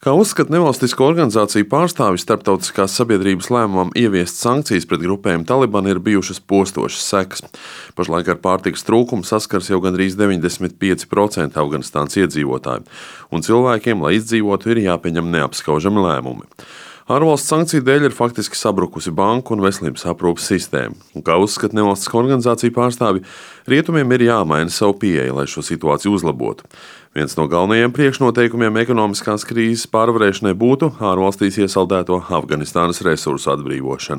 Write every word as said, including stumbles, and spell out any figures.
Kā uzskata nevalstisko organizāciju pārstāvji, starptautiskās sabiedrības lēmumam ieviest sankcijas pret grupējumu Taliban ir bijušas postošas sekas. Pašlaik ar pārtikas trūkumu saskars jau gandrīz deviņdesmit pieci procenti Afganistānas iedzīvotāju, un cilvēkiem, lai izdzīvotu, ir jāpieņem neapskaužami lēmumi. Ārvalstu sankciju dēļ ir faktiski sabrukusi banku un veselības aprūpes sistēma, un kā uzskata nevalstisko organizāciju pārstāvji, rietumiem ir jāmaina savu pieeju, lai šo situāciju uzlabotu. Viens no galvenajiem priekšnoteikumiem ekonomiskās krīzes pārvarēšanai būtu ārvalstīs iesaldēto Afganistānas resursu atbrīvošana.